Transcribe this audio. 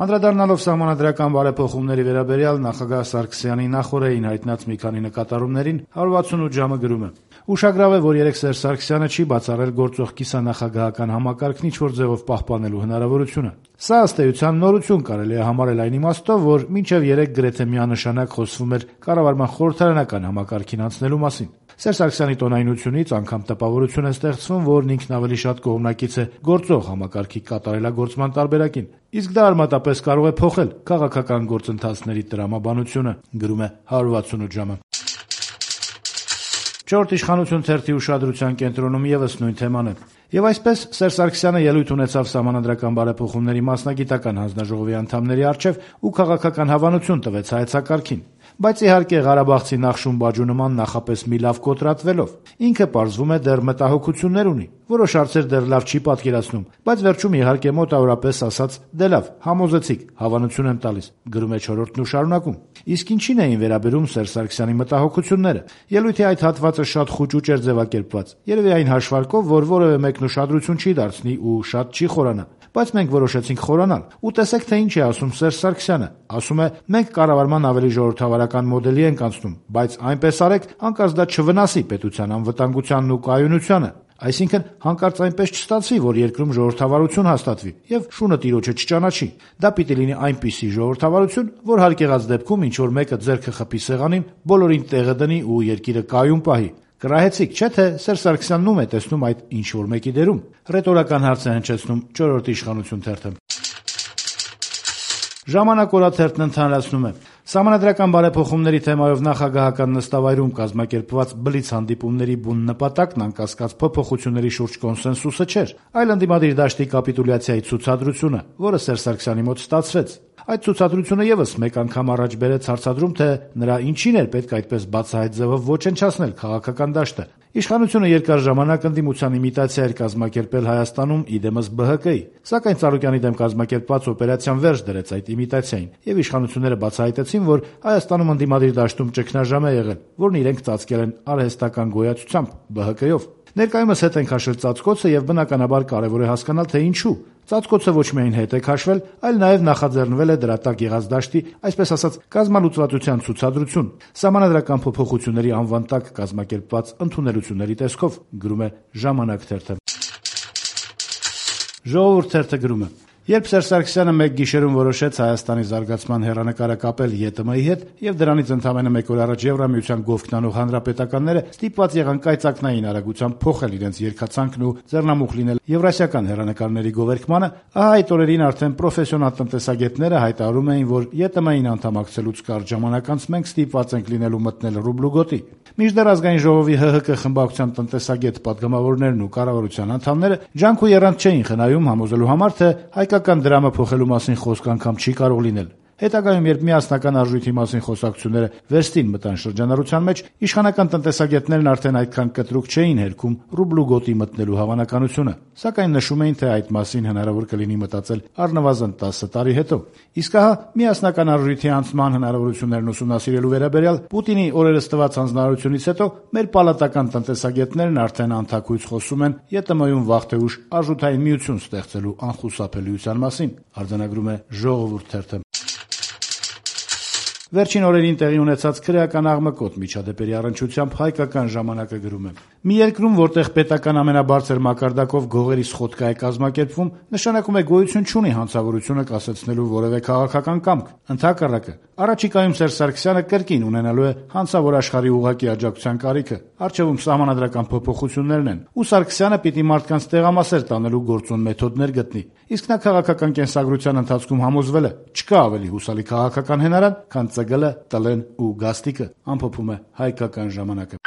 Անդրադառնալով սահմանադրական բարեփոխումների վերաբերյալ նախագահ Սարգսյանի նախօրեին հայտնած մի քանի նկատառումներին 168 ժամը գրում է. «Ուշագրավ է, որ երեկ Սերժ Սարգսյանը չի բացառել գործող կիսանախագահական համակարգն ինչ-որ ձևով պահպանելու հնարավորությունը։ Սա ըստ էության նորություն կարելի է համարել այն իմաստով, որ մինչև երեկ գրեթե միանշանակ խոսվում էր կառավարման խորհրդարանական համակարգին անցնելու մասին։ Սերժ Սարգսյանի տոնայնությունից անգամ տպավորություն է ստեղծվում, որն ինքն ավելի շատ կողմնակից է գործող համակարգի կատարելագործման տարբերակին։ Իսկ դա արմատապես կարող է փոխել քաղաքական գործընթացների տրամաբանությունը», գրում է 168 ժամը։ «Չորրորդ իշխանություն» թերթի ուշադրության կենտրոնում ևս նույն թեման է։ Եվ այսպես Սերժ Սարգսյանը ելույթ ունեցավ սահմանադրական բարեփոխումների մասնագիտական հանձնաժողովի անդամների առջև ու քաղաքական հավանություն տվեց հայեցակարգին։ Բայց իհարկե Ղարաբաղցի Նախշում-Բաջու նման նախապես մի լավ կոտրատվելով։ Ինքը պարզվում է դեռ մտահոգություններ ունի, որոշ հարցեր դեռ լավ չի պատկերացնում, բայց վերջում իհարկե մոտավորապես ասած դե լավ, համոզեցիք, հավանություն եմ տալիս, գրում է Չորրորդն ու շարունակում. իսկ ինչին էին վերաբերում Սերժ Սարգսյանի մտահոգությունները։ Ելույթի այդ հատվածը շատ խուճուճ էր ձևակերպված, երևի այն հաշվարկով, որ որևէ մեկն ուշադրություն չի դարձնի ու շատ չի խորանա։ Բայց մենք որոշեցինք խորանալ։ Ու տեսեք, թե ինչ է ասում Սերժ Սարգսյանը։ Ասում է՝ մենք կառավարման ավելի ժողովրդավարական մոդելի ենք անցնում, բայց այնպես արեք, հանկարծ դա չվնասի պետության անվտանգությանն ու կայունությանը։ Այսինքն հանկարծ այնպես չստացվի, որ երկրում ժողովրդավարություն հաստատվի եւ շունը տիրոջը չճանաչի։ Դա պիտի լինի այնպիսի ժողովրդավարություն, որ հարկեղած դեպքում ինչ որ մեկը ձեռքը խփի սեղանին, բոլորին տեղը դնի ու երկիրը կայուն պահի։ Կռահեցիք, չէ՞ թե Սերժ Սարգսյանն ում է տեսնում այդ ինչ որ մեկի դերում։ Ռետորական հարց է հնչեցնում Չորրորդ իշխանություն թերթը։ Ժամանակ օրաթերթն ընդհանրացնում է. Սահմանադրական բարեփոխումների թեմայով նախագահական նստավայրում կազմակերպված բլից հանդիպումների բուն նպատակն անկասկած փոփոխությունների շուրջ կոնսենսուսը չէր, այլ ընդդիմադիր դաշտի կապիտուլյացիայի ցուցադրությունը, որը Սերժ Սարգսյանի մոտ ստացվեց։ Այդ ցուցադրությունը եւս մեկ անգամ առաջ բերեց հարցադրում, թե նրա ինչին էր պետք այդպես բացահայտ ձևով ոչնչացնել քաղաքական դաշտը։ Իշխանությունը երկար ժամանակ ընդդիմության իմիտացիա էր կազմակերպել Հայաստանում իդեմս ԲՀԿ-ի, սակայն Ծառուկյանի դեմ կազմակերպված օպերացիան վերջ դրեց այդ իմիտացիային, եւ իշխանությունները բացահայտեցին, որ Հայաստանում ընդդիմադիր դաշտում ճգնաժամ է եղել, որն իրենք ծածկել են արհեստական գոյացությամբ ԲՀԿ-ով։ Ներկայումս հետ են քաշել ծածկոցը եւ բնականաբար կարեւոր է հասկանալ, թե ինչու։ Ծածկոցը ոչ միայն հետ է քաշվել, այլ նաեւ նախաձեռնվել է դրա տակ եղած դաշտի, այսպես ասած, կազմալուծվածության ցուցադրություն, սահմանադրական փոփոխությունների անվան տակ կազմակերպված ընդունելությունների տեսքով, գրում է Ժամանակ թերթը։ Ժողովուրդ թերթը գրում է. Երբ Սերժ Սարգսյանը մեկ գիշերում որոշեց Հայաստանի զարգացման հեռանկարը կապել ԵՏՄ-ի հետ եւ դրանից ընդամենը մեկ օր առաջ Եվրամիության գովքնանող հանրապետականները ստիպված եղան կայծակնային արագությամբ փոխել իրենց երկացանքն ու ձեռնամուխ լինել եվրասիական հեռանկարների գովերքմանը, ահա այդ օրերին արդեն պրոֆեսիոնալ տնտեսագետները հայտարարում էին, որ ԵՏՄ-ին անդամակցելուց կարճ ժամանակ անց մենք ստիպված ենք լինելու մտնել ռուբլու գոտի։ Մինչդեռ Ազգային ժողովի ՀՀԿ խմբակցության տնտեսագետ պատգամավորներն ու կառավարության անդամները ջանք ու եռանդ չէին խնայում համոզելու համար, թե հայկական դրամը փոխելու մասին խոսք անգամ չի կարող լինել։ Հետագայում, երբ միասնական արժույթի մասին խոսակցությունները վերստին մտան շրջանառության մեջ, իշխանական տնտեսագետներն արդեն այդքան կտրուկ չէին հերքում ռուբլու գոտի մտնելու հավանականությունը, սակայն նշում էին, թե այդ մասին հնարավոր կլինի մտածել առնվազն 10 տարի հետո։ Իսկ ահա միասնական արժույթի անցման հնարավորություններն ուսումնասիրելու վերաբերյալ Պուտինի օրերս տված հանձնարարությունից հետո մեր պալատական տնտեսագետներն արդեն անթաքույց խոսում են ԵՏՄ-ում վաղ թե ուշ արժութային միություն ստեղծելու անխուսափելիության մասին, արձանագրում է Ժողովուրդ թերթը։ Վերջին օրերին տեղի ունեցած քրեական աղմկոտ միջադեպերի առնչությամբ Հայկական ժամանակը գրում է. Մի երկրում, որտեղ պետական ամենաբարձր մակարդակով գողերի սխոդկա է կազմակերպվում, նշանակում է գոյություն չունի հանցավորությունը կասեցնելու որևէ քաղաքական կամք։ Ընդհակառակը, առաջիկայում Սերժ Սարգսյանը կրկին ունենալու է հանցավոր աշխարհի ուղղակի աջակցության կարիքը, առջևում սահմանադրական փոփոխություններն են, ու Սարգսյանը պիտի մարդկանց տեղամասեր տանելու գործուն մեթոդներ գտնի։ Իսկ նա քաղաքական կենսագրության ընթացքում համոզվել է, չկա ավելի հուսալի քաղաքական հենարան, քան ԾԳԼ, ՏԼ-ն ու Գաստիկը, ամփոփում է Հայկական ժամանակը։